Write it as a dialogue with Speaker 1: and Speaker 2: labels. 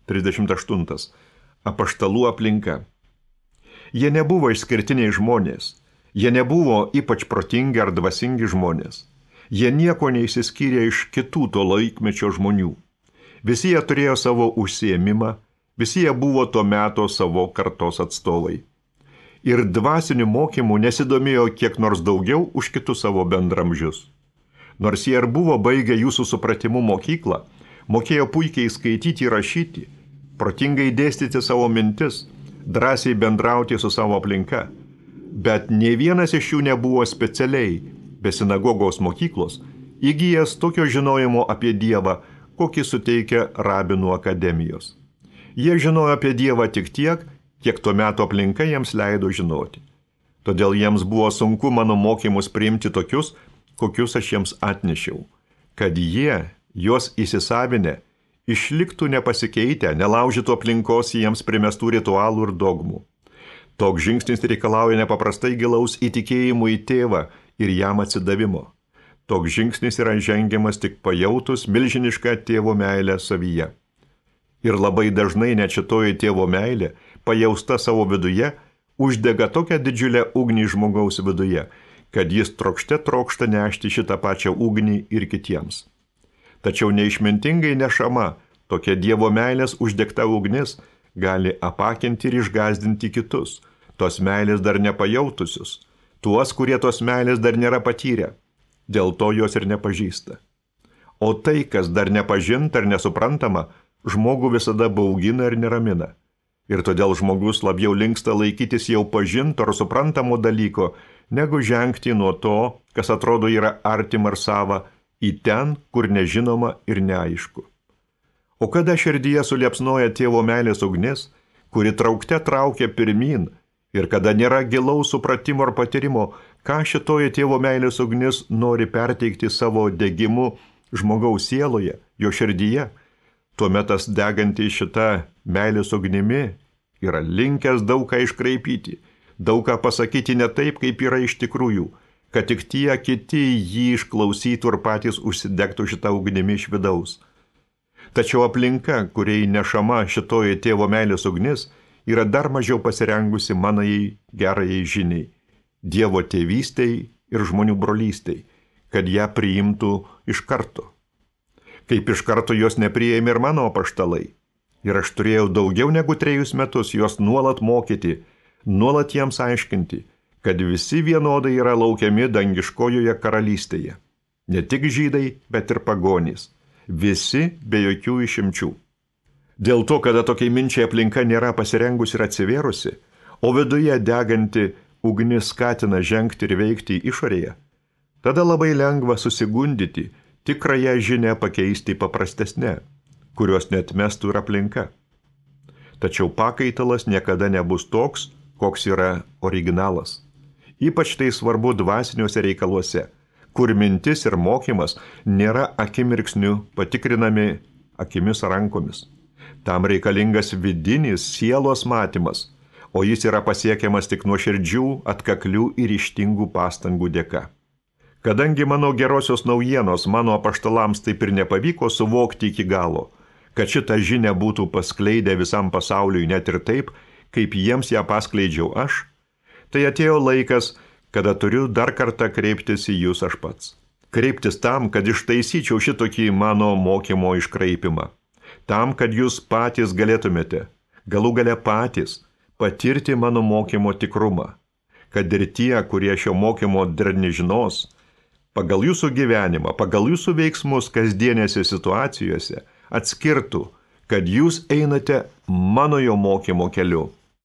Speaker 1: 38. Apaštalų aplinka. Jie nebuvo išskirtiniai žmonės. Jie nebuvo ypač protingi ar dvasingi žmonės. Jie nieko neišsiskyrė iš kitų to laikmečio žmonių. Visi jie turėjo savo užsiėmimą, visi jie buvo to meto savo kartos atstovai. Ir dvasiniu mokymu nesidomėjo kiek nors daugiau už kitus savo bendramžius. Nors jie ir buvo baigę jūsų supratimu mokyklą, mokėjo puikiai skaityti ir rašyti, protingai dėstyti savo mintis, drąsiai bendrauti su savo aplinka. Bet nei vienas iš jų nebuvo specialiai, be sinagogos mokyklos, įgyjęs tokio žinojimo apie Dievą, kokį suteikia rabinų akademijos. Jie žinojo apie Dievą tik tiek, kiek tuo metu aplinka jiems leido žinoti. Todėl jiems buvo sunku mano mokymus priimti tokius, kokius aš jiems atnešiau, kad jie, juos įsisavinę, išliktų nepasikeitę, nelaužytų aplinkos jiems primestų ritualų ir dogmų. Toks žingsnis reikalauja nepaprastai gilaus įtikėjimų į tėvą ir jam atsidavimo. Toks žingsnis yra žengiamas tik pajautus milžinišką tėvo meilę savyje. Ir labai dažnai net šitoji tėvo meilė, pajausta savo viduje, uždega tokią didžiulę ugnį žmogaus viduje, kad jis trokšta nešti šitą pačią ugnį ir kitiems. Tačiau neišmintingai nešama, tokia Dievo meilės uždegta ugnis gali apakinti ir išgąsdinti kitus, tos meilės dar nepajautusius, tuos, kurie tos meilės dar nėra patyrę, dėl to jos ir nepažįsta. O tai, kas dar nepažinta ir nesuprantama, žmogų visada baugina ir neramina. Ir todėl žmogus labiau linksta laikytis jau pažinto ar suprantamo dalyko, negu žengti nuo to, kas atrodo yra artima ir sava, į ten, kur nežinoma ir neaišku. O kada širdyje suliepsnoja tėvo meilės ugnis, kuri traukte traukia pirmin, ir kada nėra gilaus supratimo ar patyrimo, ką šitoji tėvo meilės ugnis nori perteikti savo degimu žmogaus sieloje, jo širdyje, tuomet tas deganti šita meilės ugnimi yra linkęs daug ką iškraipyti, daug ką pasakyti ne taip, kaip yra iš tikrųjų, kad tik tie kiti jį išklausytų ir patys užsidegtų šitą ugnimi iš vidaus. Tačiau aplinka, kuriai nešama šitoji tėvo meilės ugnis, yra dar mažiau pasirengusi manai gerajai žiniai, Dievo tėvystei ir žmonių brolystei, kad ją priimtų iš karto. Kaip iš karto jos nepriėmė ir mano apaštalai. Ir aš turėjau daugiau negu 3 metus juos nuolat mokyti, nuolat jiems aiškinti, kad visi vienodai yra laukiami dangiškojoje karalystėje. Ne tik žydai, bet ir pagonys. Visi be jokių išimčių. Dėl to, kada tokiai minčiai aplinka nėra pasirengusi ir atsivėrusi, o viduje deganti ugnis skatina žengti ir veikti išorėje, tada labai lengva susigundyti, tikrąją žinią pakeisti paprastesnę, kurios neatmestų ir aplinka. Tačiau pakaitalas niekada nebus toks, koks yra originalas. Ypač tai svarbu dvasiniuose reikaluose, kur mintis ir mokymas nėra akimirksniu patikrinami akimis rankomis. Tam reikalingas vidinis sielos matymas, o jis yra pasiekiamas tik nuoširdžių, atkaklių ir ryžtingų pastangų dėka. Kadangi mano gerosios naujienos mano apaštalams taip ir nepavyko suvokti iki galo, kad šitą žinią būtų paskleidę visam pasauliui net ir taip, kaip jiems ją paskleidžiau aš, tai atėjo laikas, kada turiu dar kartą kreiptis į jūs aš pats. Kreiptis tam, kad ištaisyčiau šitokį mano mokymo iškraipimą. Tam, kad jūs patys galėtumėte, galų gale patys, patirti mano mokymo tikrumą. Kad ir tie, kurie šio mokymo dar nežinos, pagal jūsų gyvenimą, pagal jūsų veiksmus kasdienėse situacijose atskirtų, kad jūs einate mano jo mokymo keliu.